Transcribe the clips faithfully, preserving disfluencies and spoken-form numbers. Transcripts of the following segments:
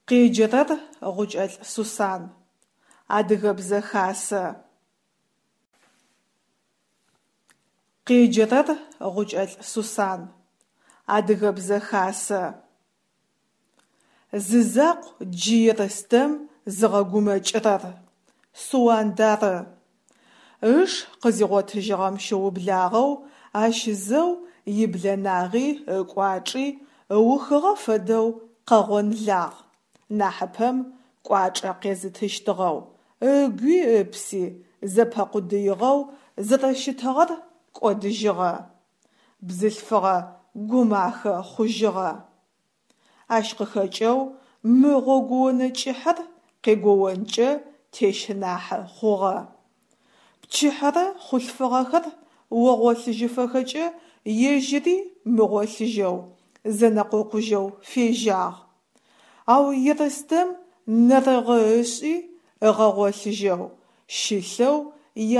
Къеджэрэр Гъукӏэлӏ Сусан. Адыгэбзэ хасэ. Къеджэрэр Гъукӏэлӏ Сусан. Адыгэбзэ хасэ. Зызакъу джы Ерстэм зыгъэгумэкӏырэр – Суанд ары. Ыш къызигъотыжьыгъэм щыублагъэу ащ зэу иблэнагъи ыкӏуачӏи ыухыгъэ фэдэу къэгъонлагъ, нахьыпэм кӏуачӏэ къезытыщтыгъэу, ыгуи ыпси зэпэкъудыигъэу зэрэщытыгъэр кӏодыжьыгъэ, бзылъфыгъэ гумахэ хъужьыгъэ. Ащ къыхэкӏэу мы гъогуонэ кӏыхьэр къегоонкӏэ тещынахьы хъугъэ. Пчыхьэрэ хъулъфыгъэхэр огъолъыжьыфэхэкӏэ ежьыри мыгъолъыжьэу, зэнэкъокъужьэу фежьагъ. Ау Ерстэм нэрыгъы ышӏи ыгъэгъолъыжьэу, щылъэу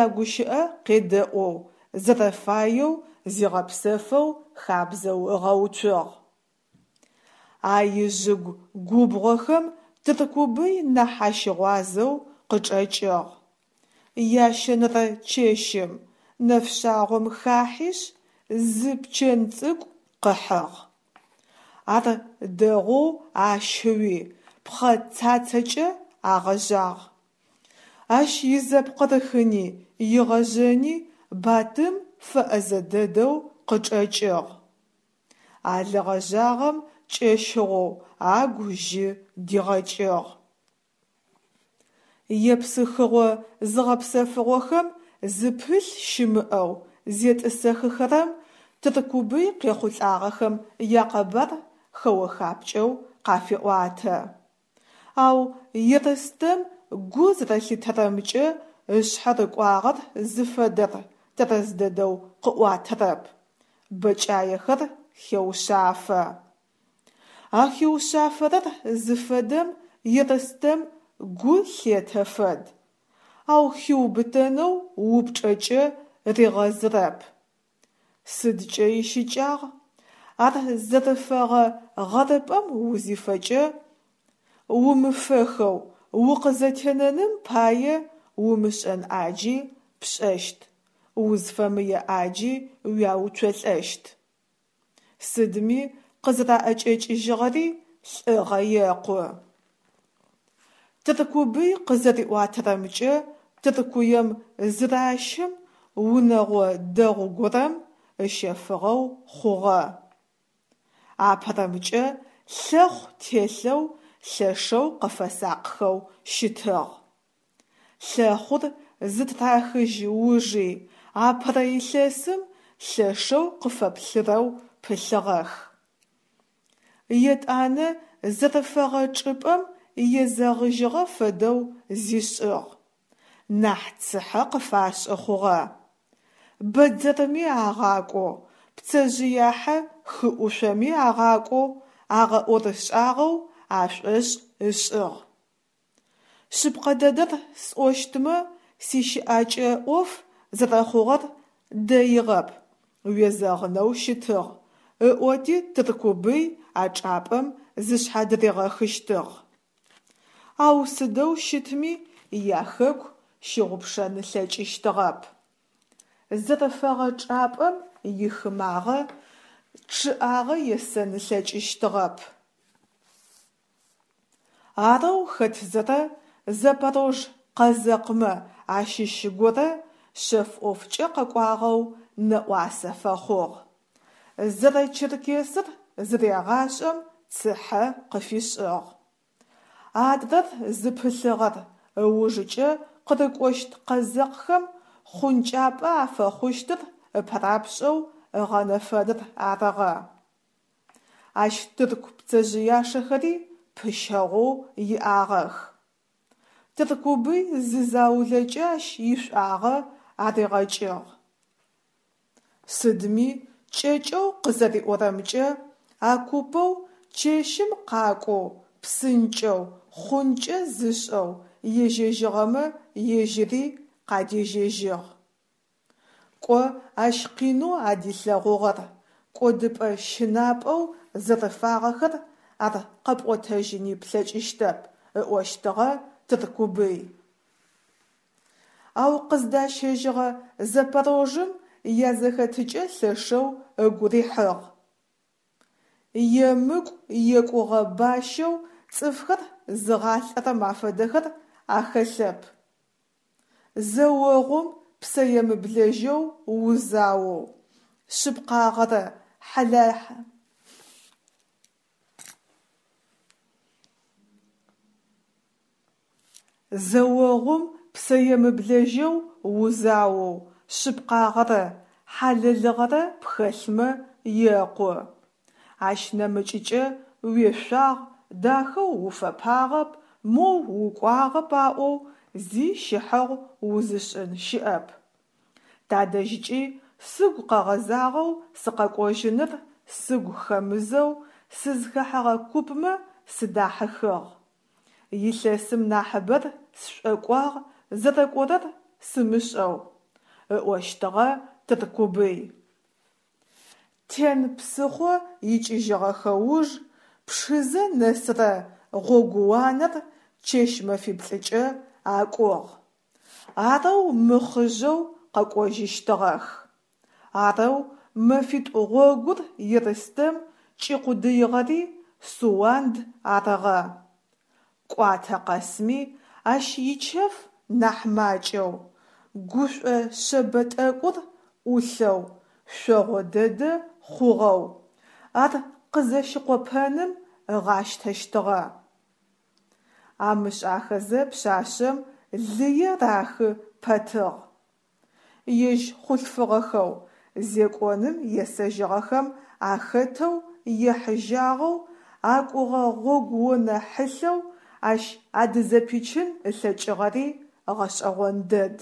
ягущыӏэ къедэӏоу, зэрэфаеу зигъэпсэфэу хабзэу ыгъэуцугъ. А ижъыгу губгъохэм Тыркубый нахь ащыгъуазэу къычӏэкӏыгъ. Ящэнэрэ чэщым, нэфшъагъом хахьишъ, зы пчэн цӏыкӏу къыхьыгъ. Ар дэгъоу ащыуи пхъэ цацэкӏэ агъэжъагъ. Ащ изэпкъырыхыни игъэжъэни Батым фэӏэзэ дэдэу къычӏэкӏыгъ. А лы гъэжъагъэм кӏэщыгъоу агу жьы дигъэкӏыгъ. Епсыхыгъо зыгъэпсэфыгъохэм зыпылъ щымыӏэу зетӏысэхыхэрэм Тыркубый къехъулӏагъэхэм якъэбар хэо-хапкӏэу къафеӏуатэ. Ау Ерстэм гу зэрэлъитэрэмкӏэ ышъхьэ рыкӏуагъэр зыфэдэр тэрэз дэдэу къыӏуатэрэп, бэкӏаехэр хеушъафэ. А хиушъафэрэр зыфэдэм Ерстэм гу лъетэ фэд, ау хиубытэнэу упчӏэкӏэ ригъэзырэп. Сыдкӏэ ищыкӏагъ? Ар зэрыфэгъэ гъэрыпӏэм узифэкӏэ, умыфэхэу укъызэтенэным пае умышӏэн ӏаджи пшӏэщт, узфэмые ӏаджи уяуцолӏэщт. Сыдми къызэраӏэкӏэкӏыжьыгъэри лӏыгъэ екъу. Тыркубый къызэриӏуатэрэмкӏэ, Тыркуем зыращым унэгъо дэгъу горэм ыщэфыгъэу хъугъэ. Апэрэмкӏэ лъэхъу телъэу лъэшэу къыфэсакъхэу щытыгъ. Лъэхъур зытырахыжь ужи апэрэ илъэсым лъэшэу къыфэплъырэу пылъыгъэх. Етӏанэ зэрыфэгъэ чӏыпӏэм езэгъыжьыгъэ фэдэу зишӏыгъ, нахь цыхьэ къыфашӏы хъугъэ. Бэдзэрми агъакӏоу, пцэжъыяхьэ хыӏушъоми агъакӏоу агъэӏорышӏагъэу ашӏошӏ ышӏыгъ. Шъыпкъэ дэдэр сӏощтмэ, сищыӏакӏэ ӏоф зэрэхъугъэр дэигъэп, уезэгъынэу щытыгъ, ыӏоти Тыркубый а чӏапӏэм зышъхьадыригъэхыщтыгъ. Ау сыдэу щытми яхэку щыгъупшэн ылъэкӏыщтыгъэп. Зэрыфэгъэ чӏапӏэм ихымагъэ, чъыӏагъэ есэн ылъэкӏыщтыгъэп. Арэу хэтзэрэ запорож къэзэкъмэ ащыщ горэ шъэф ӏофкӏэ къэкӏуагъэу нэӏуасэ фэхъугъ. Зэрэчеркесыр зырегъашӏэм цыхьэ къыфишӏыгъ. Адрэр зыпылъыгъэр ыужыкӏэ къырыкӏощт къэзэкъхэм хъункӏапӏэ афэхъущтыр ыпэрапшӏэу ыгъэнэфэныр арыгъэ. Ащ тырку пцэжъыяшэхэри пыщэгъоу иӏагъэх. Тыркубый зы заулэкӏэ ащ ишӏуагъэ аригъэкӏыгъ. Сыдми кӏэкӏэу къызэриӏорэмкӏэ, а купэу чэщым къакӏоу, псынкӏэу, хъункӏэ зышӏэу ежьэжьыгъэмэ ежьыри къадежьэжьыгъ. Кӏо ащ къинэу адилъэгъугъэр, кӏодыпӏэ-щынапӏэу зэрыфагъэхэр ар къэпӏотэжьыни плъэкӏыщтэп, ыӏощтыгъэ Тыркубый. Ау къыздащэжьыгъэ Запорожъым язэхэтыкӏэ лъэшэу ыгу рихьыгъ. Емыкӏу екӏугъэ бащэу цӏыфхэр зыгъалӏэрэм афэдэхэр ахэлъэп. Зэогъум псэемыблэжьэу узаоу, шъыпкъагъэрэ Зэогъум псэемыблэжьэу узаоу, шъыпкъагъэрэ хьалэлыгъэрэ пхэлъмэ екъу. Ащ нэмыкӏыкӏэ уешъуагъ, дахэу уфэпагъэп, моу укӏуагъэп аӏоу зи щыхьэгъу узышӏын щыӏэп. Тадэжькӏи сыгу къэгъэзагъэу сыкъэкӏожьыныр сыгу хэмызэу сызхэхьэгъэ купмэ сыдахьыхыгъ. Илъэсым нахьыбэр сшӏокӏуагъ зэрэкӏорэр сымышӏэу, ыӏощтыгъэ Тыркубый. Тен псыхъо икӏыжьыгъэхэ уж Пшызэ нэсырэ гъогууанэр чэщ-мэфиплӏыкӏэ акӏугъ. Арэу мыхъыжъэу къэкӏожьыщтыгъэх. Арэу мэфитӏу гъогур Ерстэм кӏикъудыигъэри Суанд арыгъэ. Кӏуатэ къэсми ащ ичэф нахь макӏэу, гушӏо шъэбэ тӏэкӏур ӏулъэу, шъогъо дэдэ хъугъэу, ар къызэщыкъопэным ыгъащтэщтыгъэ. Амышӏахэзэ пшъашъэм лые рахы пэтыгъ. Ежь хъулъфыгъэхэу зекӏоным есэжьыгъэхэм ахэтэу ехьыжьагъэу акӏугъэ гъогуонэ хьылъэу ащ адызэпичын ылъэкӏыгъэри гъэшӏэгъон дэд.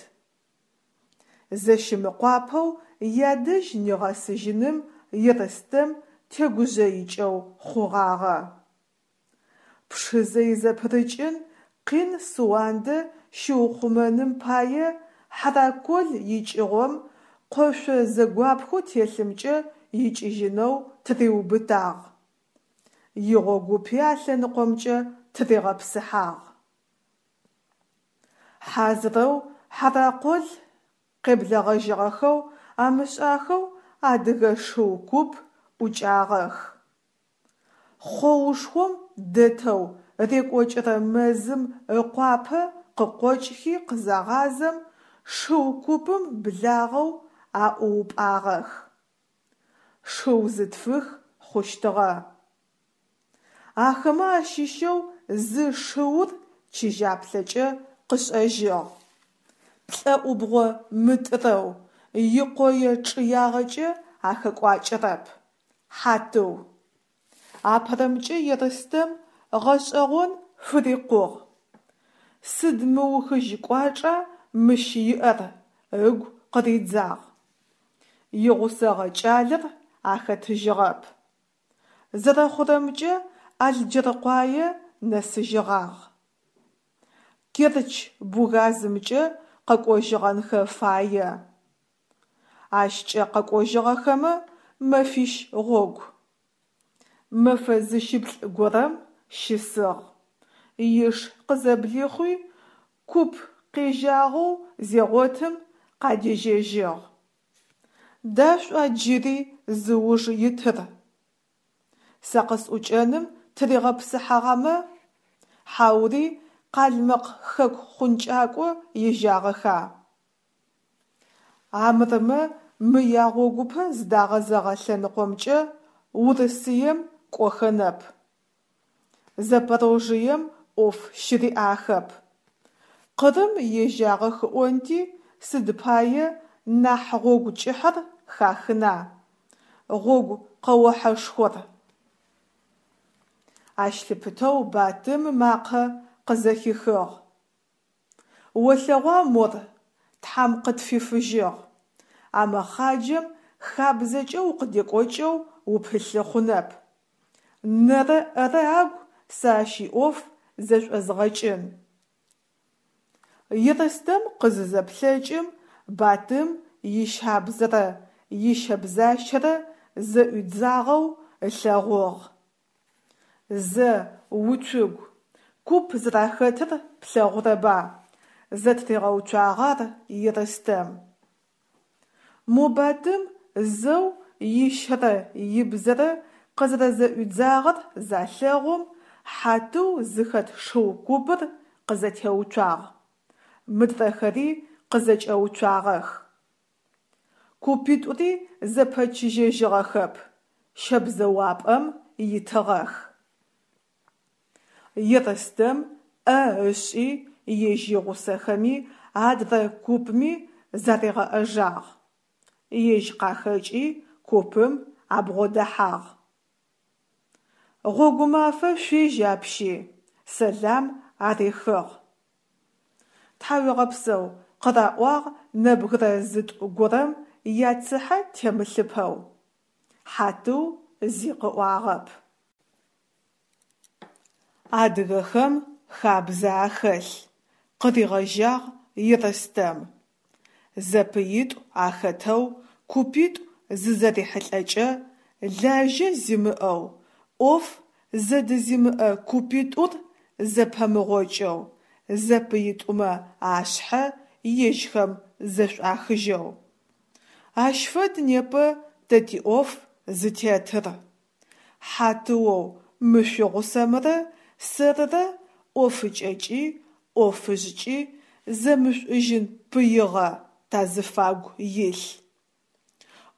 Зэщымыкъуапэу ядэжь нигъэсыжьыным Ерстэм тегужъыикӏэу хъугъагъэ. Пшызэ изэпырыкӏын къин Суандэ щиухъумэным пае Хьаракол икӏыгъом къошъо зэгуапхэу телъымкӏэ икӏыжьынэу тыриубытагъ. Игъогупи а лъэныкъомкӏэ тыригъэпсыхьагъ. Хьазырэу Хьаракъол къеблэгъэжьыгъэхэу амышӏахэу адыгэ шыу куп ӏукӏагъэх. Хъоушхом дэтэу рекӏокӏырэ мэзым ыкъуапэ къыкъокӏхи къызагъазэм, шыу купым благъэу аӏуупӏагъэх. Шыу зытфых хъущтыгъэ. Ахэмэ ащыщэу зы шыур чыжьаплъэкӏэ къышӏэжьыгъ. Плӏэӏубгъо мытӏырэу, икъое чъыягъэкӏэ ахэкӏуакӏэрэп. Хьатыу. Апэрэмкӏэ Ерстэм гъэшӏэгъон фырикъугъ. Сыд мыухыжь кӏуачӏа мыщ иӏэр, ыгу къыридзагъ. Игъусэгъэ кӏалэр ахэтыжьыгъэп. Зэрэхъурэмкӏэ, Алджэркъуае нэсыжьыгъагъ. Керчь-Бугазымкӏэ къэкӏожьыгъэнхэ фае. Ащкӏэ къэкӏожьыгъэхэмэ мэфищ гъогу. Мэфэ зыщыплӏ горэм щысыгъ. Иш къызэблихъуи, куп къежьагъэу зегъотым къадежьэжьыгъ. Да шӏуа джыри зыуж итыр? Сэ къысӏукӏэным тыригъэпсыхьагъэмэ, хьаури къалмыкъ хэку хъункӏакӏо ежьагъэха? Амырмэ мы ягъогупэ зыдагъэзэгъэ лъэныкъомкӏэ Урысыем кӏохэнэп. Запорожьем ӏоф щыриӏахэп. Къырым ежьагъэх ыӏонти, сыд пае нахь гъогу кӏыхьэр хахына, гъогу къэохьэшхор. Ащ лъыпытэу Батым ымакъэ къызэхихыгъ. Олъэгъуа мор, Тхьам къытфифыжьыгъ. А мэхъаджэм хабзэкӏэ укъыдекӏокӏэу упылъы хъунэп. Нэрэ-ӏэрэ агу сэ ащ иӏоф зэшӏозгъэкӏын. Ерстэм къызызэплъэкӏым, Батым ищабзэрэ ищэбзащэрэ зэӏуидзагъэу ылъэгъугъ. Зэ, уцугу, куп зэрахэтыр плъэгъурэба, зэтыригъэуцуагъ ар Ерстэм. Мо Батым зэу ищэрэ ибзэрэ къызэрэзэӏуидзагъэр залъэгъум, Хьатыу зыхэт шыу купыр къызэтеуцуагъ, мыдрэхэри къызэкӏэуцуагъэх. Купитӏури зэпэчыжьэжьыгъэхэп, щэбзэуапӏэм итыгъэх. Ерстэм ӏэ ышӏи ежь игъусэхэми адрэ купми заригъэӏэжагъ, ежь къахэкӏи купым абгъодэхьагъ. Гъогумафэ шъуежь апщи! – сэлам арихыгъ. Тхьауегъэпсэу, къыраӏуагъ нэбгырэ зытӏу горэм яцыхьэ темылъыпэу. Хьатыу зи къыӏуагъэп. Адыгэхэм хабзэ ахэлъ, – къыригъэжьагъ Ерстэм, – зэпыитӏу ахэтэу купитӏу зызэрихьылӏэкӏэ, лажьэ зимыӏэу, ӏоф зэдызимыӏэ купитӏур зэпэмыгъокӏэу, зэпыитӏумэ ашъхьэ ежьхэм зэшӏуахыжьэу. Ащ фэд непэ тэ тиӏоф зытетыр. Хьатыоу мы шъуигъусэмрэ сэрырэ ӏофыкӏэкӏи ӏофыжъкӏи зэмышӏужьын пыигъэ тазыфагу илъ.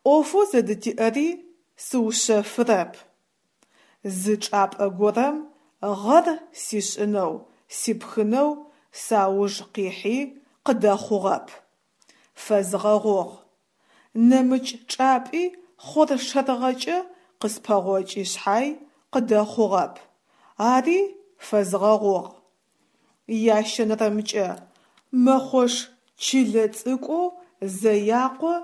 Ӏофэу зэдытиӏэри сыушъэфырэп: зы чӏапӏэ горэм гъэр сишӏынэу сипхынэу сауж къихьи къыдэхъугъэп, фэзгъэгъугъ; нэмыкӏ чӏапӏи хъоршэрыгъэкӏэ къыспэгъокӏи шъхьай къыдэхъугъэп, ари фэзгъэгъугъ; ящэнэрэмкӏэ, мэхъош чылэ цӏыкӏоу Зэякъо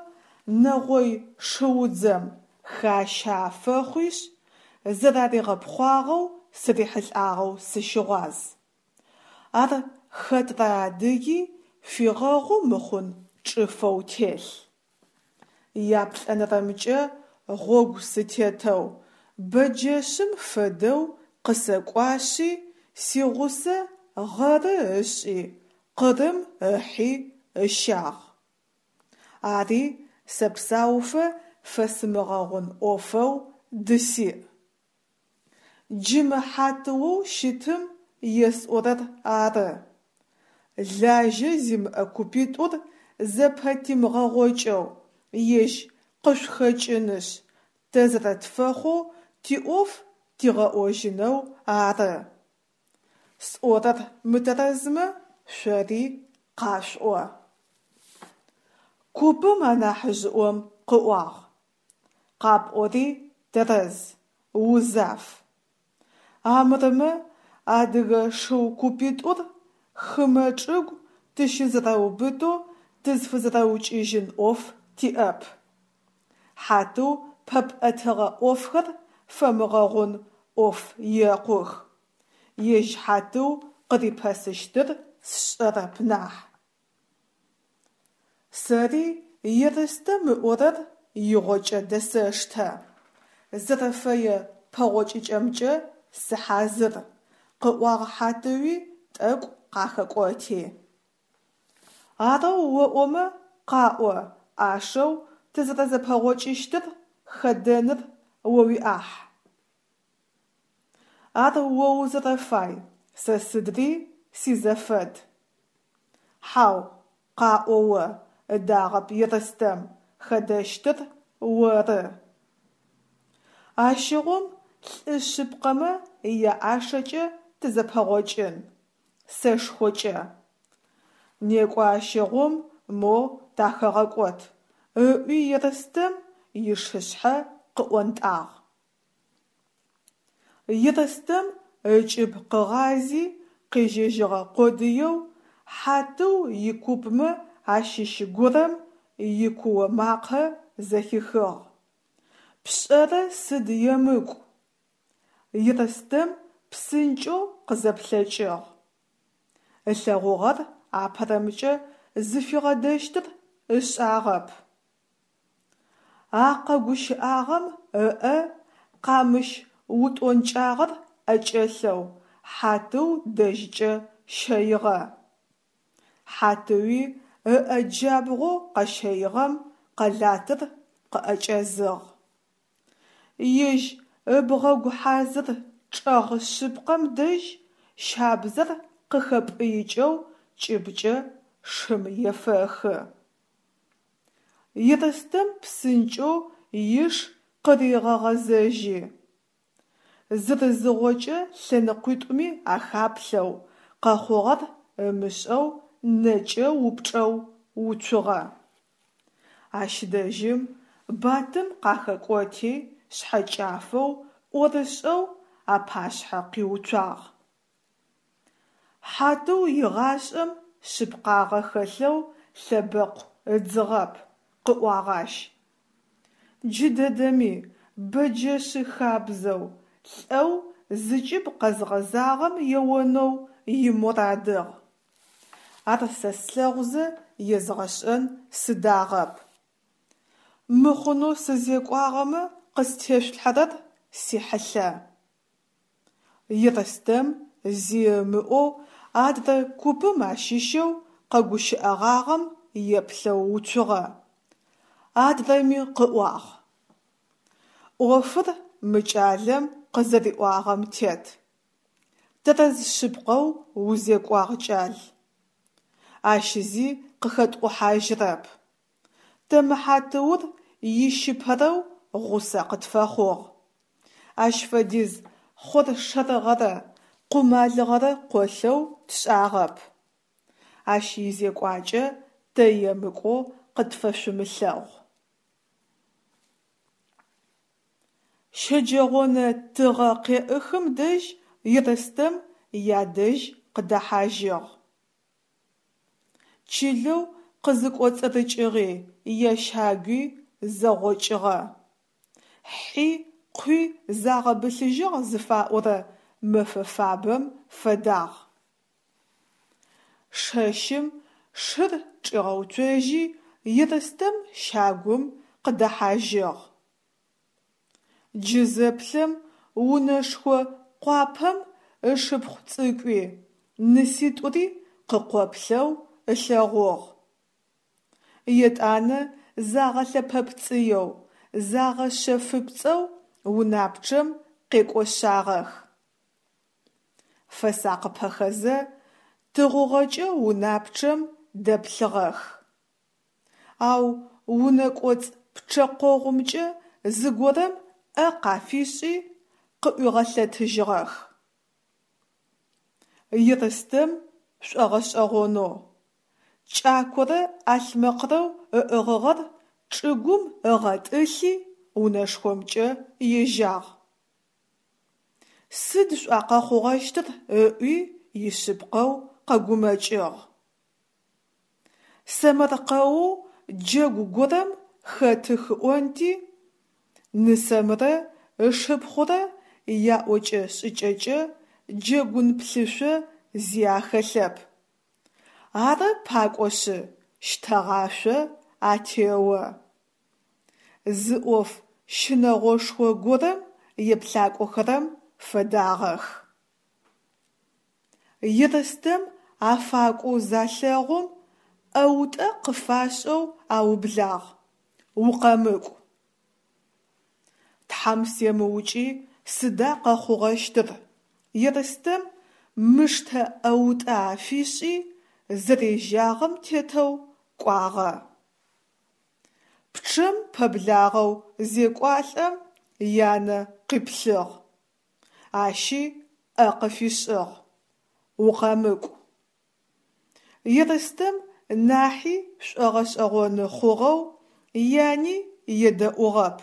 нэгъой шыудзэм, хащэ афэхъуишъ, зэраригъэпхъуагъэу сырихьылӏагъэу сыщыгъуаз. Ар хэтрэ адыги фигъэгъу мыхъун чӏыфэу телъ. Яплӏэнэрэмкӏэ, гъогу сытетэу, бэджэшъым фэдэу къысэкӏуашъи, сигъусэ гъэры ышӏи, Къырым ыхьи ыщагъ. Ари сэпсауфэ фэсымыгъэгъун ӏофэу дысиӏ. Джы мы Хьатыоу щытым есӏорэр ары: лажьэ зимыӏэ купитӏур зэпэтимыгъэгъокӏэу, ежь къышъухэкӏынышъ, тэ зэрэтфэхъоу тиӏоф тигъэӏожьынэу ары. Сӏорэр мытэрэзмэ, шъори къашъуӏо. Купым анахьыжъыӏом къыӏуагъ: Къапӏори тэрэз, узаф. Амырмэ адыгэ шыу купитӏур хымэ чӏыгу тыщызэрэубытэу тызфызэрэукӏыжьын ӏоф тиӏэп. Хьатыу пэпӏэтыгъэ ӏофхэр фэмыгъэгъун ӏоф екъух, ежь Хьатыу къырипэсыщтыр сшӏэрэп нахь. Сэри Ерстэм ыӏорэр игъокӏэ дэсэштэ, зэрэфэе пэгъокӏыкӏэмкӏэ сыхьазыр, къыӏуагъ Хьатыуи, тӏэкӏу къахэкӏоти. Арэу оӏомэ, къаӏо, ӏашэу тызэрэзэпэгъокӏыщтыр хэдэныр о уиӏахь. Ар о узэрэфай, сэ сыдри сизэфэд. Хьау, къаӏо о, ыдагъэп Ерстэм, хэдэщтыр оры. Ащыгъум лӏы шъыпкъэмэ яӏашэкӏэ тызэпэгъокӏын – сэшхокӏэ. Некӏо ащыгъум, моу тахэгъэкӏот, – ыӏуи Ерстэм ишышъхьэ къыӏонтӏагъ. Ерстэм ыкӏыб къыгъази къежьэжьыгъэ къодыеу, Хьатыу икупмэ ащыщ горэм икуо макъэ зэхихыгъ: «Пшӏэрэ сыд емыкӏу!» Ерстэм псынкӏэу къызэплъэкӏыгъ. Ылъэгъугъэр апэрэмкӏэ зыфигъэдэщтыр ышӏагъэп. А къэгущыӏагъэм ыӏэ къамыщ утӏонкӏагъэр ӏэкӏэлъэу Хьатыу дэжькӏэ щэигъэ. Хьатыуи ыӏэ джабгъоу къэщэигъэм къэлатыр къыӏэкӏэзыгъ. Ежь ыбгъэгу хьазыр чӏэгъ шъыпкъэм дэжь щабзэр къыхэпӏыикӏэу кӏыбыкӏэ шым ефэхы. Ерстэм псынкӏэу иш къыригъэгъэзэжьи, зырызыгъокӏэ лъэныкъуитӏуми ахаплъэу, къэхъугъэр ымышӏэу нэкӏэ упчӏэу уцугъэ. Ащ дэжьым Батым къахэкӏоти, шъхьэкӏафэу, ӏорышӏэу апашъхьэ къиуцуагъ. Хьатыу игъашӏэм шъыпкъагъэ хэлъэу лъэбэкъу ыдзыгъэп, къыӏуагъ ащ. Джыдэдэми, бэджэшъы хабзэу, лӏэу зыкӏыб къэзгъэзагъэм еонэу иморадыгъ. Ар сэ слъэгъузэ езгъэшӏэн сыдагъэп. Мыхъунэу сызекӏуагъэмэ къыстешъулъхьэрэр сихьылъэ. Ерстэм зи ымыӏоу адрэ купым ащыщэу къэгущыӏэгъагъэм еплъэу уцугъэ. Адрэми къыӏуагъ: «Ӏофыр мы кӏалэм къызэриӏуагъэм тет. Тэрэз шъыпкъэу узекӏуагъ, кӏал. Ащ зи къыхэтӏухьажьырэп. Тэ мы Хьатыур ищыпэрэу гъусэ къытфэхъугъ. Ащ фэдиз хъоршэрыгъэрэ къумалыгъэрэ къолъэу тшӏагъэп. Ащ изекӏуакӏэ тэ емыкӏоу къытфэшъумылъэгъу». Щэджэгъонэ тыгъэ къеӏыхым дэжь Ерстэм ядэжь къыдэхьажьыгъ. Чылэу къызыкӏоцӏырыкӏыгъи, ящагуи зэгъокӏыгъэ. Хьи къуи загъэбылъыжьыгъ зыфаӏорэ мэфэ фабэм фэдагъ. Шэщым шыр чӏигъэуцожьи, Ерстэм щагум къыдэхьажьыгъ. Джы зэплъэм унэшхо къуапэм ышыпхъу цӏыкӏуи, ныситӏури къыкъоплъэу ылъэгъугъ. Етӏанэ загъэлъэпэпцӏыеу, загъэшъэфыпцӏэу унапчъэм къекӏошъагъэх. Фэсакъыпэхэзэ тыгъугъэкӏэ унапчъэм дэплъыгъэх. Ау унэкӏоцӏ пчъэкъогъумкӏэ зыгорэм ӏэ къафишӏи къыӏуигъэлъэтыжьыгъэх. Ерстэм шӏогъэшӏэгъонэу, кӏакорэ ӏалъмэкъэу ыӏыгъыгъэр чӏыгум ыгъэтӏылъи унэшхомкӏэ ежьагъ. Сыд шӏуа къэхъугъэщтыр ыӏуи ишъыпкъэу къэгумэкӏыгъ. Сэмэркъэоу джэгу горэм хэтых ыӏонти, нысэмрэ ышыпхъурэ яӏокӏэ-шӏыкӏэкӏэ джэгун плъышъо зи ахэлъэп. Ары пакӏошъы, щтэгъашъо атео. Зы ӏоф щынэгъошхо горэм еплъакӏохэрэм фэдагъэх. Ерстэм афакӏоу залъэгъум, ӏэутӏэ къыфашӏэу аублагъ: «Укъэмыкӏу! Тхьам семыукӏи сыда къэхъугъэщтыр?» Ерстэм мыштэ ӏэутӏэ афишӏи, зэрежьагъэм тетэу кӏуагъэ. Пчъэм пэблагъэу зекӏуалӏэм, янэ къиплъыгъ. Ащи ӏэ къыфишӏыгъ: «Укъэмыкӏу!» Ерстэм нахьи шӏогъэшӏэгъоны хъугъэу яни едэӏугъэп.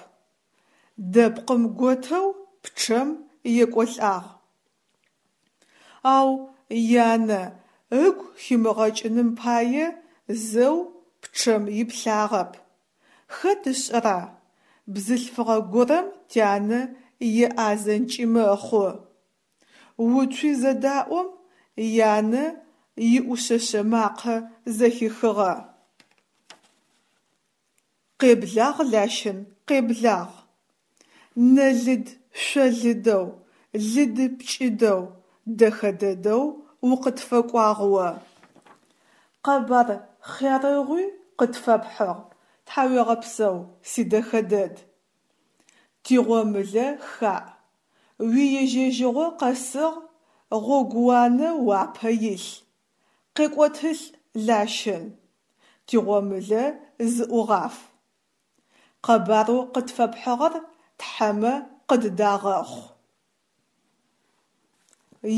Дэпкъым готэу пчъэм екӏолӏагъ. Ау янэ ыгу химыгъэкӏыным пае зэу пчъэм иплъагъэп. Хэт ышӏэра, бзылъфыгъэ горэм тянэ еӏазэнкӏи мэхъу. Уцуи зэдаӏом, янэ иӏушъэшъэ макъэ зэхихыгъэ. Къеблагъ, Лащын, къеблагъ! Нэ лыд-шъо лыдэу, Лыды-пкӏыдэу, дэхэ дэдэу укъытфэкӏуагъ о. Къэбар хъярыгъуи къытфэпхьыгъ, тхьауегъэпсэу, сидэхэ дэд. Тигъомылэ хаӏ, уиежьэжьыгъо къэсыгъ, гъогууанэ уапэ илъ, къекӏотылӏ, Лащын, тигъомылэ зыӏугъаф. Къэбарэу къытфэпхьыгъэр тхьэмэ къыддагъэхъу.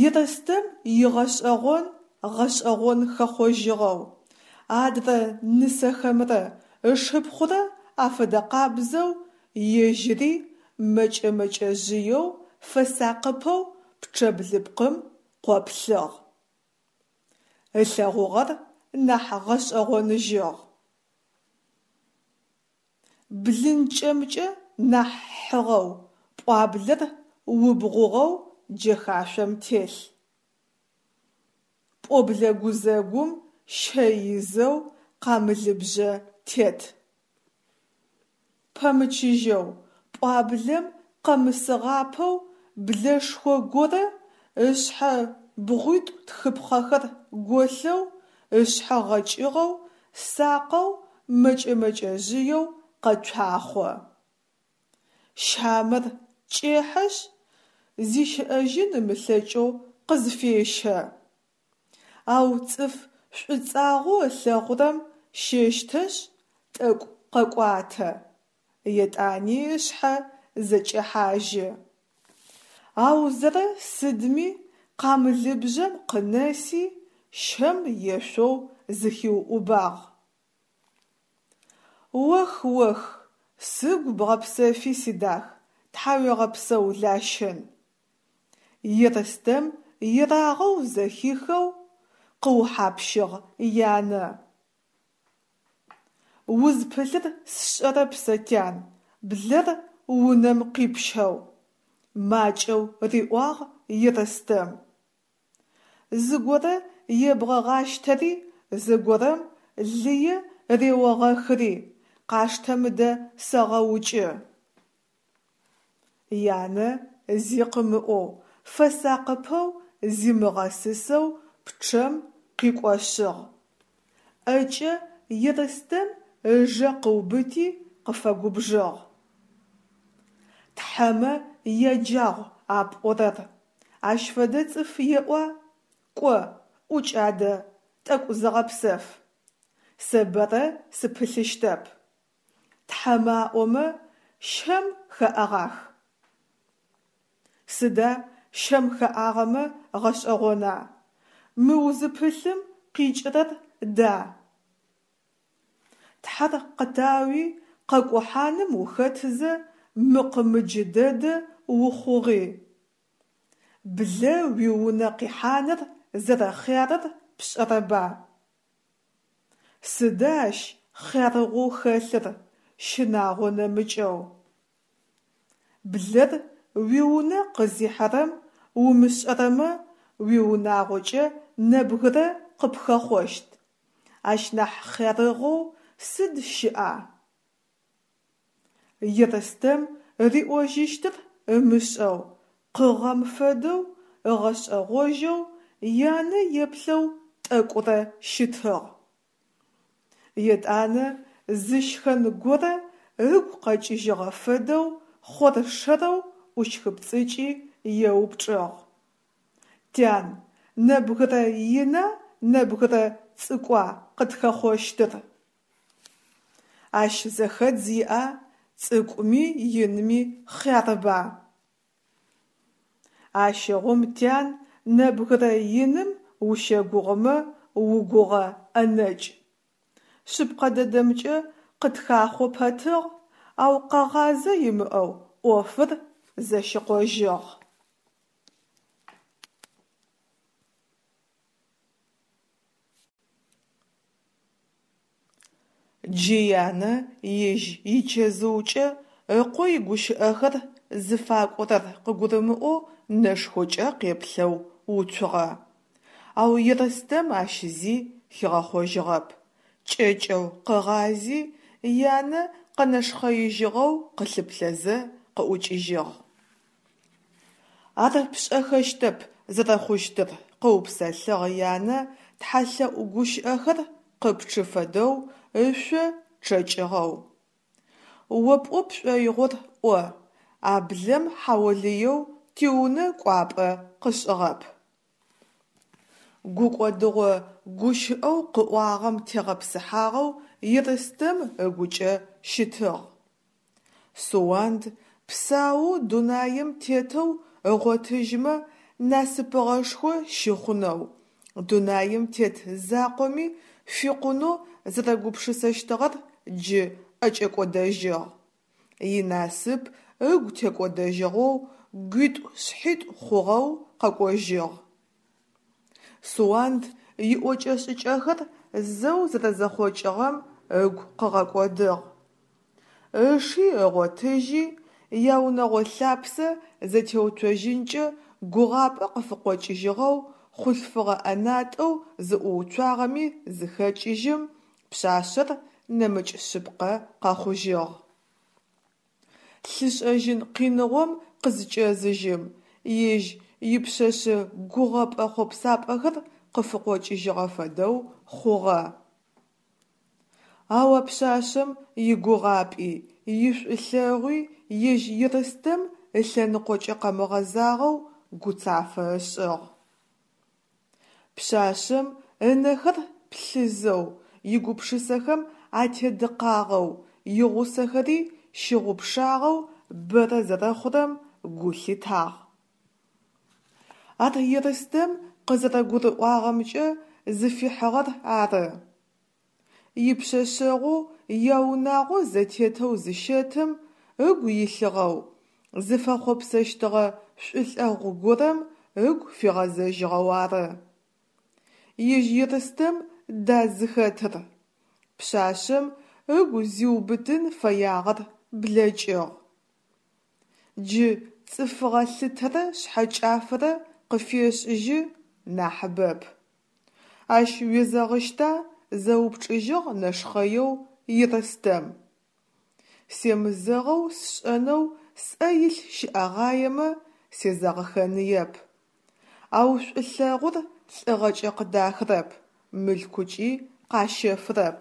Ерстэм игъэшӏэгъон гъэшӏэгъон хэхъожьыгъэу, адрэ нысэхэмрэ ышыпхъурэ афэдэкъабзэу ежьыри мэкӏэ-мэкӏэжъыеу фэсакъыпэу пчъэ блыпкъым къоплъыгъ. Ылъэгъугъэр нахь гъэшӏэгъоныжьыгъ. Блынкӏэмкӏэ нахь хьыгъэу, пӏуаблэр убгъугъэу джэхашъом телъ. Пӏоблэ гузэгум щэ изэу къамылыбжъэ тет. Пэмычыжьэу, пӏуаблэм къэмысыгъапэу блэшхо горэ ышъхьэ бгъуитӏу тхыпхъэхэр голъэу, ышъхьэ гъэкӏыгъэу, сакъэу мэкӏэ-мэкӏэжъыеу къэцуахъо. Щамэр кӏехьэшъ, зищыӏэжьын ымылъэкӏэу къызфещэ. Ау цӏыф шӏуцӏагъэу ылъэгъурэм щэщтэшъ, тӏэкӏу къэкӏуатэ, етӏани ышъхьэ зэкӏехьажьы. Аузэрэ сыдми къамылыбжъэм къынэси, щэм ешъоу зыхиуӏубагъ. Ох-ох, сыгу бгъэпсэфи, сидах, тхьауегъэпсэу, Лащын! Ерстэм ерагъэу зэхихэу къыухьапщыгъ янэ. Узпылъыр сшӏэрэп сэ, тян, блэр унэм къипщэу, макӏэу риӏуагъ Ерстэм. Зыгорэ ебгъэгъащтэри, зыгорэм лые реогъэхыри, къаштэ мыдэ сэгъэукӏы. Янэ зи къымыӏоу, фэсакъыпэу зимыгъэсысэу пчъэм къикӏошъыгъ. ӏэкӏэ Ерстэм ыжэ къыубыти къыфэгубжыгъ: «Тхьэмэ яджагъу а пӏорэр, ащ фэдэ цӏыф еӏуа, кӏо, ӏукӏ адэ, тӏэкӏу зыгъэпсэф. Сэ бэрэ сыпылъыщтэп. Тхьэмэ аӏомэ, щэм хэӏэгъах». Сыда щэм хэӏагъэмэ гъэшӏэгъона, мы узыпылъым къикӏырэр да? Тхьэр къытауи, къэкӏухьаным ухэтызэ мыкъ-мыджы дэдэ ухъугъи. Блэ уиунэ къихьаныр зэрэхъярыр пшӏэрэба? Сыда ащ хъярыгъэу хэлъыр, щынагъо нэмыкӏэу. Блэр уиунэ къызихьэрэм умышӏэрэмэ, уиунагъокӏэ нэбгырэ къыпхэхъощт, ащ нахь хъярыгъэу сыд щыӏа? Ерстэм риӏожьыщтыр ымышӏэу, къыгъэм фэдэу ыгъэшӏэгъожьэу янэ еплъэу тӏэкӏурэ щытыгъ. Етӏанэ зы щхэн горэ ыгу къэкӏыжьыгъэ фэдэу хъоршэрэу ӏущхыпцӏыкӏи еупчӏыгъ: «Тян, нэбгырэ ина нэбгырэ цӏыкӏуа къытхэхъощтыр?» Ащ зэхэдз иӏа, цӏыкӏуми инми хъярба. Ащыгъум, тян, нэбгырэ иным ущэгугъымэ угугъэ ӏэнэкӏ. Шъыпкъэ дэдэмкӏэ къытхахъо пэтыгъ, ау къэгъазэ имыӏэу ӏофыр зэщыкъожьыгъ. Джы янэ ежь ичэзыукӏэ ыкъо игущыӏэхэр зыфакӏорэр къыгурымыӏоу нэшхокӏэ къеплъэу уцугъэ. Ау Ерстэм ащ зи хигъэхъожьыгъэп, кӏэкӏэу къыгъази, янэ къэнэшхъэижьыгъэу къылъыплъэзэ къыӏукӏыжьыгъ. Ар пшӏэхэщтэп зэрэхъущтыр, къыупсэлъыгъ янэ тхьэлъэӏу гущыӏэхэр къыпчъы фэдэу ышъо чъэкӏыгъэу. О пӏо пшӏоигъор ӏо, а блэм хьаолыеу тиунэ кӏуапӏэ къышӏыгъэп. Гукӏодыгъо гущыӏэу къыӏуагъэм тегъэпсыхьагъэу Ерстэм ыгукӏэ щытыгъ. Суанд псаоу дунаем тетэу ыгъотыжьмэ насыпыгъэшхо щыхъунэу, дунаем тет закъоми фикъунэу зэрэгупшысэщтыгъэр джы ӏэкӏэкӏодэжьыгъ. Инасып ыгу текӏодэжьыгъэу гуитӏу-шъхьитӏу хъугъэу къэкӏожьыгъ. Суанд иӏокӏэ-шӏыкӏэхэр зэу зэрэзэхъокӏыгъэм ыгу къыгъэкӏодыгъ. Ыши ыгъотыжьи, яунэгъо лъапсэ зэтеуцожьынкӏэ гугъапӏэ къыфыкъокӏыжьыгъэу хъулъфыгъэ ӏэнатӏэу зыӏууцуагъэми зыхэкӏыжьым, пшъашъэр нэмыкӏ шъыпкъэ къэхъужьыгъ. Лъышӏэжьын къиныгъом къызкӏэзыжьым, ежь ипшъэшъэ гугъэпӏэ-хъопсапӏэхэр къыфыкъокӏыжьыгъэ фэдэу хъугъэ. Ау а пшъашъэм игугъапӏи, ишӏулъэгъуи ежь Ерстэм ылъэныкъокӏэ къэмыгъэзагъэу гуцафэ ышӏыгъ. Пшъашъэм ынэхэр плъызэу, игупшысэхэм атедыкъагъэу, игъусэхэри щыгъупшагъэу бэрэ зэрэхъурэм гу лъитагъ. Ар Ерстэм къызэрэгурыӏуагъэмкӏэ зыфихьыгъэр ары. Ипшъэшъэгъоу яунагъо зэтетэу зыщэтым ыгу илъыгъэу, зыфэхъопсэщтыгъэ шӏулъэгъу горэм ыгу фигъэзэжьыгъэу ары. Ежь Ерстэм да зыхэтыр? Пшъашъэм ыгу зиубытын фэягъэр блэкӏыгъ. Джы цӏыфыгъэ лъытэрэ шъхьэкӏафэрэ къыфешӏыжьы, нахьыбэп. Ащ уезэгъыщта? Зэупчӏыжьыгъ нэшхъэеу Ерстэм. Семызэгъэу сшӏэнэу сӏэ илъ щыӏэгъаемэ, сезэгъыхэныеп. Ау шӏулъэгъур лӏыгъэкӏэ къыдахырэп, мылъкукӏи къащэфырэп.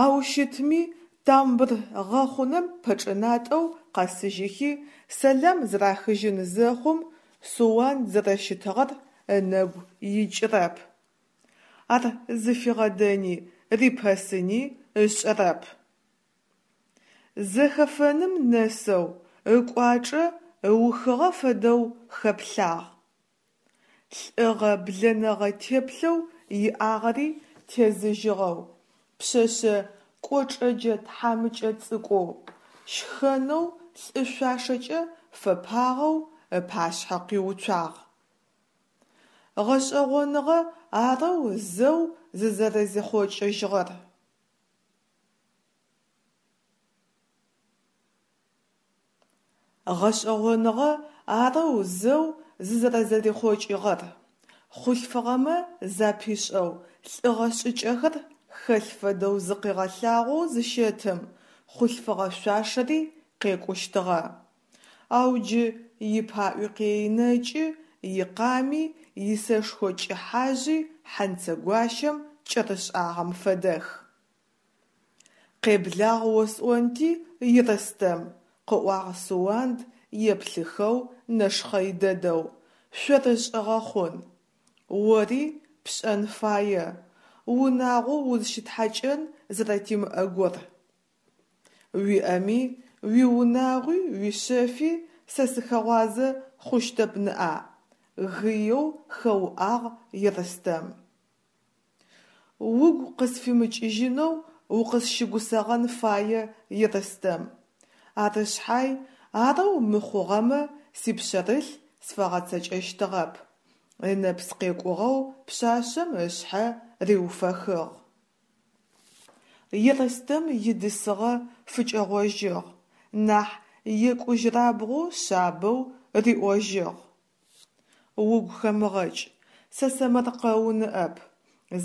Ау щытми, тамбыр гъэхъунэм пэчӏынатӏэу къэсыжьыхи сэлам зэрахыжьын зэхъум, Суанд зэрэщытыгъэр ынэгу икӏырэп. Ар зыфигъэдэни рипэсыни ышӏэрэп. Зэхэфэным нэсэу, ыкӏуачӏэ ыухыгъэ фэдэу хэплъагъ. Лӏыгъэ блэнэгъэ теплъэу иӏагъэри тезыжьыгъэу, пшъэшъэ кӏочӏэджэ тхьамыкӏэ цӏыкӏоу, щхэнэу лӏы шъуашэкӏэ фэпагъэу ыпашъхьэ къиуцуагъ. Гъэшӏэгъоныгъэ арэу зэу зызэрэзихъокӏыжьыгъэр. Гъэшӏэгъоныгъэ арэу зэу зызэрэзэрихъокӏыгъэр. Хъулъфыгъэмэ запишӏэу лӏыгъэ шӏыкӏэхэр хэлъ фэдэу зыкъигъэлъагъоу зыщэтым, хъулъфыгъэ шъуашэри къекӏущтыгъэ. Ау джы ипаӏуи къеинэкӏы, икъами, исэшхо кӏыхьажъи хьэнцэгуащэм кӏэрышӏагъэм фэдэх. Къеблагъ осӏонти, Ерстэм, къыӏуагъ Суанд еплъыхэу нэшхъэй дэдэу, шъорышӏыгъэ хъун. Ори пшӏэн фае, унагъо узщитхьакӏэн зэрэтимыӏэгор. Уиӏэми, уиунагъуи, уишъэфи сэ сыхэгъуазэ хъущтэп ныӏа? Гыеу хэуӏагъ Ерстэм. Угу къысфимыкӏыжьынэу укъысщыгусэгъэн фае, Ерстэм. Ары шъхьай, арэу мыхъугъэмэ сипшъэрылъ сфэгъэцэкӏэщтыгъэп. Ынэпс къекӏугъэу пшъашъэм ышъхьэ риуфэхыгъ. Ерстэм идысыгъэ фыкӏэгъожьыгъ, нахь екӏужьырабгъоу шъабэу риӏожьыгъ: Угу хэмыгъэкӏ, сэсэмэркъэу ныӏэп,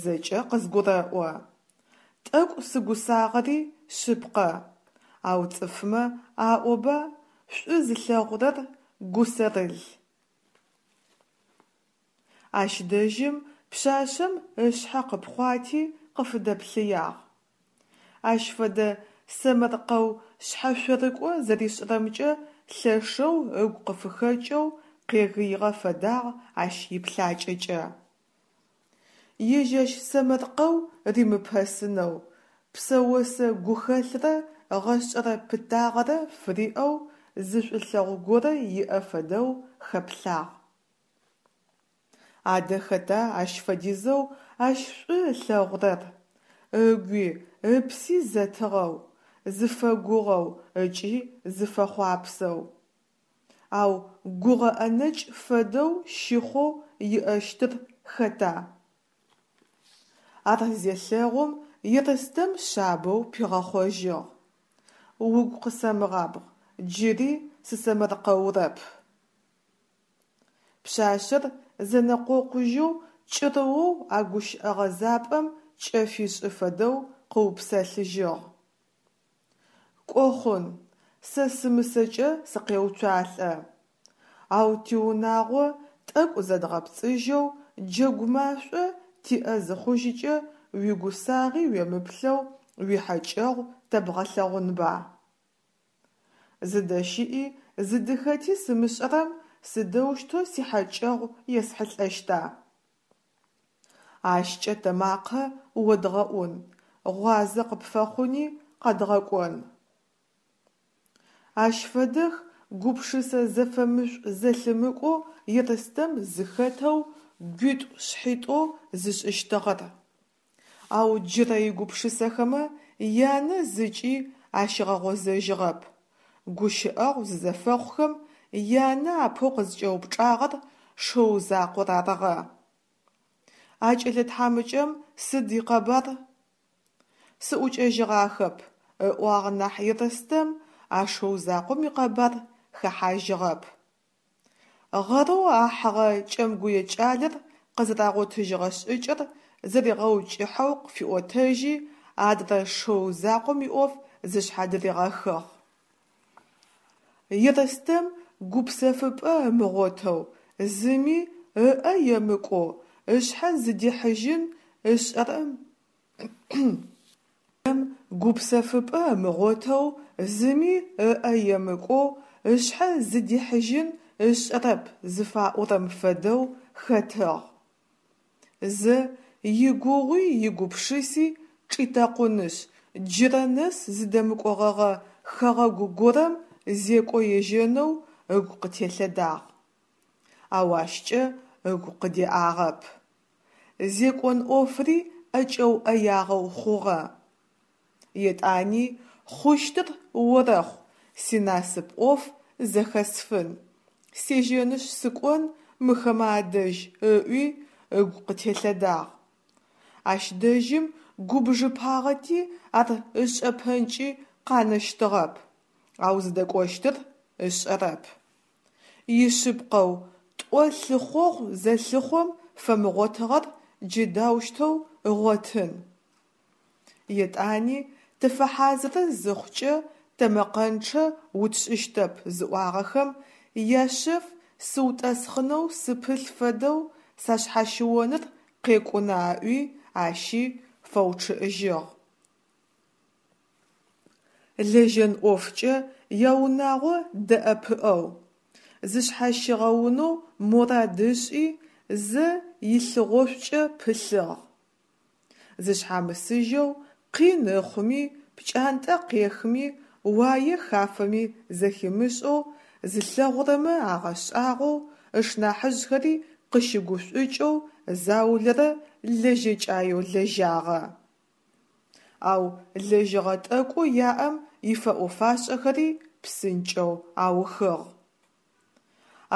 зэкӏэ къызгурэӏо. Тӏэкӏу сыгусагъэри шъыпкъэ, ау цӏыфмэ аӏоба, Шӏу зылъэгъурэр гусэрыл. Ащ дэжьым пшъашъэм ышъхьэ къыпхъуати къыфыдэплъыягъ. Ащ фэдэ сэмэркъэу шъхьэшъорыкӏо зэришӏырэмкӏэ лъэшэу ыгу къыфыхэкӏэу къегыигъэ фэдагъ ащ иплъакӏэкӏэ. Ежь ащ сэмэркъэу римыпэсынэу, псэосэ гухэлърэ гъэшӏэрэ пытагъэрэ фыриӏэу зы шӏулъэгъу горэ иӏэ фэдэу хэплъагъ. Адэ хэта ащ фэдизэу ащ шӏу ылъэгъурэр, ыгуи ыпси зэтыгъэу, зыфэгугъэу ыкӏи зыфэхъуапсэу, ау гугъэ ӏэнэкӏ фэдэу щыхъоу иӏэщтыр хэта? Ар зелъэгъум Ерстэм шъабэу пигъэхъожьыгъ: «Угу къысэмыгъабгъ, джыри сысэмэркъэурэп». Пшъашъэр зэнэкъокъужьэу кӏырыоу а гущыӏэ гъэзапӏэм кӏэ фишӏы фэдэу къыупсэлъыжьыгъ: «Кӏо хъун, сэ сымысэкӏэ сыкъеуцуалӏэ, ау тиунагъо тӏэкӏу зэдгъэпцӏыжьэу джэгу машӏо тиӏэ зыхъужьыкӏэ уигусагъи уемыплъэу уихьэкӏэгъу тэбгъэлъэгъунба?». Зыдэщыӏи зыдыхэти сымышӏэрэм сыдэущтэу сихьэкӏэгъу есхьылӏэщта? Ащкӏэ тэ макъэ одгъэӏун, гъуазэ къыпфэхъуни къэдгъэкӏон. Ащ фэдэх гупшысэ зэфэмышӏу-зэлъымыкӏоу Ерстэм зыхэтэу гуитӏу-шъхьитӏу зышӏыщтыгъэр. Ау джырэ игупшысэхэмэ янэ зыкӏи ащигъэгъозэжьыгъэп. Гущыӏэгъу зызэфэхъухэм янэ апэу къызкӏэупчӏагъэр шыу закъор арыгъэ. «А кӏэлэ тхьамыкӏэм сыд икъэбар?» «Сыӏукӏэжьыгъахэп», – ыӏуагъ нахь Ерстэм а шыу закъом икъэбар хэхьажьыгъэп. Гъэрэу ахьыгъэ кӏэмгуе кӏалэр къызэрагъотыжьыгъэ шӏыкӏэр зыригъэукӏыхьэу къыфиӏотэжьи, адрэ шыу закъом иӏоф зышъхьадыригъэхыгъ. Ерстэм гупсэфыпӏэ ымыгъотэу, зыми ыӏэ емыкӏоу, ышъхьэ зыдихьыжьын ышӏэрэм гупсэфыпӏэ ымыгъотэу, зыми ыӏэ емыкӏоу, ышъхьэ зыдихьыжьын ышӏэрэп зыфаӏорэм фэдэу хэтыгъ. Зэ игугъуи игупшыси чӏитэкъунышъ, джырэ нэс зыдэмыкӏогъэгъэ хэгъэгу горэм зекӏо ежьэнэу ыгу къытелъэдагъ. Ау ащкӏэ ыгу къыдеӏагъэп. Зекӏон ӏофри ӏэкӏэуӏэягъэу хъугъэ. Етӏани хъущтыр орэхъу, синасып ӏоф зэхэсфын, сежьэнышъ сыкӏон мыхэмэ адэжь ыӏуи ыгу къытелъэдагъ. Ащ дэжьым губжыпагъэти ар ышӏэпэнкӏи къанэщтыгъэп, ау зыдэкӏощтыр ышӏэрэп. Ишъыпкъэу, тӏо лъыхъогъу зэлъыхъом фэмыгъотыгъэр джы даущтэу ыгъотын? Етӏани тыфэхьазыры зыхъукӏэ тэмэкъэнчъэ утшӏыщтэп зыӏуагъэхэм яшъэф сыутӏэсхъынэу сыпылъ фэдэу сашъхьащыоныр къекӏуна ыӏуи ащи фэучъыӏыжьыгъ. Лэжьэн ӏофкӏэ яунагъо дэӏэпыӏэу, зышъхьащигъэунэу морад ышӏи, зэ илъыгъошӏукӏэ пылъыгъ. Зышъхьамысыжьэу, къин ыхъуми, пкӏантӏэ къехми, уае хафэми зэхимышӏэу, зылъэгъурэмэ агъэшӏагъоу, ышнахьыжъхэри къыщыгушӏукӏэу заулэрэ лэжьэкӏаеу лэжьагъэ. Ау лэжьыгъэ тӏэкӏоу яӏэм ифэӏо-фашӏэхэри псынкӏэу аухыгъ.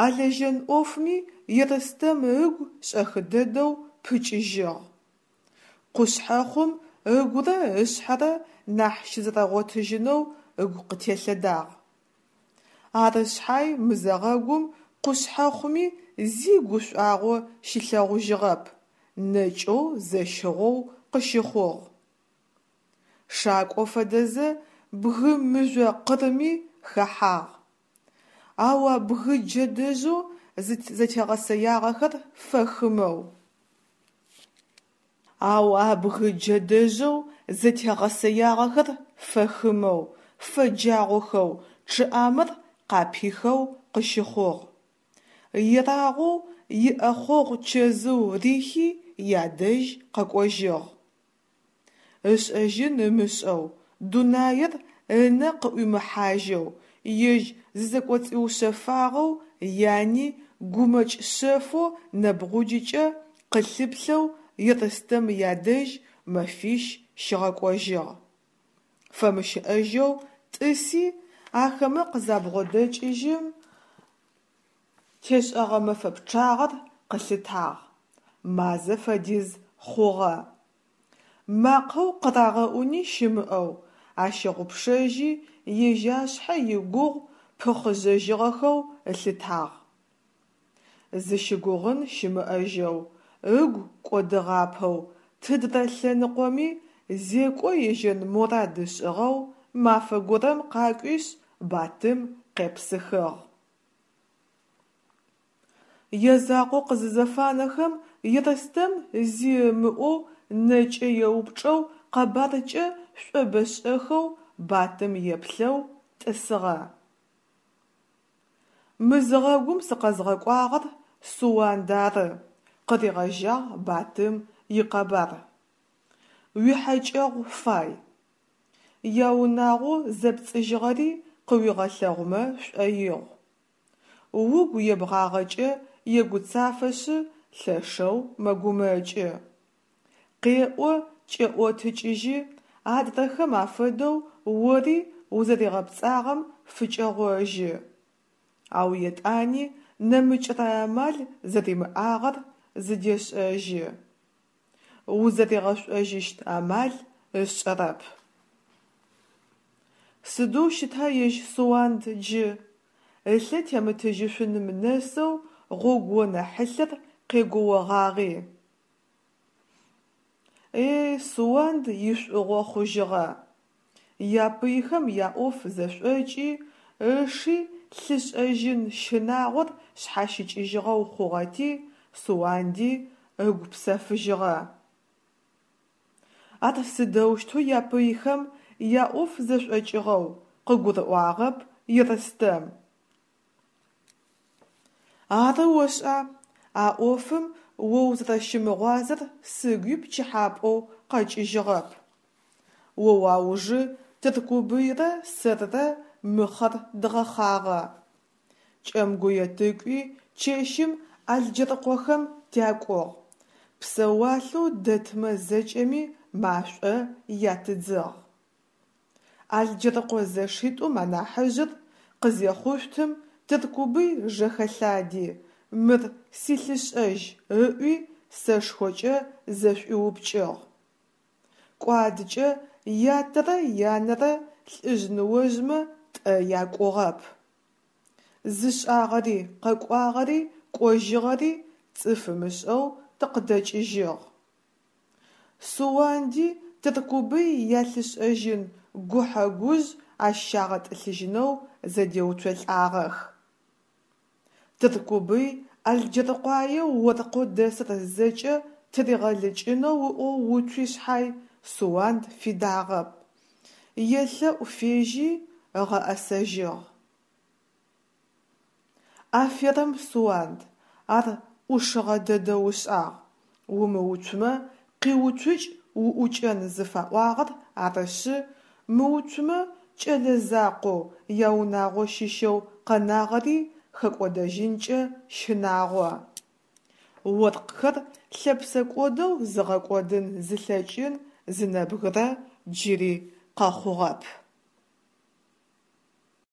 А лэжьэн ӏофми Ерстэм ыгу шӏэхы дэдэу пыкӏыжьыгъ. Къушъхьэхъум ыгурэ ышъхьэрэ нахь щызэрэгъотыжьынэу ыгу къытелъэдагъ. Ары шъхьай мызэгъэгум къушъхьэхъуми зи гушӏуагъо щилъэгъужьыгъэп, нэкӏэу зэщыгъоу къыщыхъугъ. Шакӏо фэдэзэ бгы мыжъо къырми хэхьагъ. Ау а бгы джэдэжъэу зэтегъэсэягъэхэр фэхымэу. Ау а бгы джэдэжъэу зэтегъэсэягъэхэр фэхымэу, фэджагъохэу, чъыӏамэр къапихэу къыщыхъугъ. Ерагъоу иӏэхъогъу чэзыу рихи ядэжь къэкӏожьыгъ. Ышӏэжьын ымышӏэу, дунаир ынэ къыӏуимыхьажьэу, ежь зызэкӏоцӏиушъэфагъэу, яни гумэкӏ шъэфэу нэбгъуджыкӏэ къылъыплъэу Ерстэм ядэжь мэфищ щигъэкӏожьыгъ. Фэмыщыӏэжьэу тӏыси, ахэмэ къызабгъодэкӏыжьым тешӏэгъэ мэфэ пчъагъэр къылъытагъ: мазэ фэдиз хъугъэ. Макъэу къырагъэӏуни щымыӏэу, ащыгъупшэжьи, ежь ашъхьэ игугъу пыхъыжьыгъэхэу ылъытагъ. Зыщыгугъын щымыӏэжьэу, ыгу кӏодыгъапэу, тыдрэ лъэныкъоми зекӏо ежьэн морад ышӏыгъэу мафэ горэм къакӏуишъ Батым къепсыхыгъ. Язакъоу къызызэфанэхэм, Ерстэм зи ымыӏоу нэкӏэ еупчӏэу, къэбаркӏэ шӏобэшӏэхэу Батым еплъэу тӏысыгъэ. Мызыгъэгум сыкъэзгъэкӏуагъэр Суанд ары, къыригъэжьагъ Батым икъэбар. Уихьэкӏэгъу фай. Яунагъоу зэпцӏыжьыгъэри къыуигъэлъэгъумэ шӏоигъу. Угу ебгъагъэкӏэ егуцафэшъы лъэшэу мэгумэкӏы. Къеӏо кӏеӏотыкӏыжьы, адрэхэм афэдэу ори узэригъэпцӏагъэм фыкӏэгъожьы. Ау етӏани нэмыкӏрэ амал зэримыӏагъэр зыдешӏэжьы. Узэригъэшӏожьыщт амал ышӏэрэп. Сыдэу щыта ежь Суанд джы? Ылъэ темытыжьышъуным нэсэу гъогуонэ хьылъэр къегоогъагъи. Е-е, Суанд ишӏугъо хъужьыгъэ. Япыйхэм яӏоф зэшӏокӏи, ыши лъышӏэжьын щынагъор шъхьащыкӏыжьыгъэу хъугъэти, Суанди ыгу псэфыжьыгъэ. Ар сыдэущтэу япыйхэм яӏоф зэшӏокӏыгъэу къыгурыӏуагъэп Ерстэм. Ары ошӏа, а ӏофым о узэрэщымыгъуазэр сыгуи пкӏыхьапӏэу къэкӏыжьыгъэп. О уаужы Тыркубыйрэ сэрырэ мыхъэр дгъэхъагъэ. Кӏэмгуе тыкӏуи чэщым Алджэрыкъохэм тякӏугъ, псэуалъэу дэтмэ зэкӏэми машӏо ятыдзыгъ. Алджэрыкъо зэшитӏум анахьыжъыр къызехъушъутым Тыркубый жэхэлъади, мыр силъышӏэжь ыӏуи сэшхокӏэ зэшӏуиупкӏыгъ. Кӏуадыкӏэ ятэрэ янэрэ лӏыжъ-ныожъмэ тӏэ якӏугъэп. Зышӏагъэри, къэкӏуагъэри, кӏожьыгъэри цӏыф ымышӏэу тыкъыдэкӏыжьыгъ. Суанди Тыркубый ялъышӏэжьын гухьэ-гужъ ащ щагъэтӏылъыжьынэу зэдеуцолӏагъэх. Тыркубый Алджэркъуае оркъэу дэсыр зэкӏэ тыригъэлыкӏынэу ыӏоу уцуи шъхьай, Суанд фидагъэп, елъэӏу фежьи, ыгъэӏэсэжьыгъ. Аферэм, Суанд, ар ӏушыгъэ дэдэу ышӏагъ, умыуцумэ къиуцукӏ уӏукӏэн зыфаӏуагъэр арышъы, мыуцумэ кӏэлэ закъоу яунагъо щыщэу къэнагъэри хэкӏодэжьынкӏэ щынагъо. Оркъхэр лъэпсэкӏодэу зыгъэкӏодын зылъэкӏын зы нэбгырэ джыри къэхъугъэп.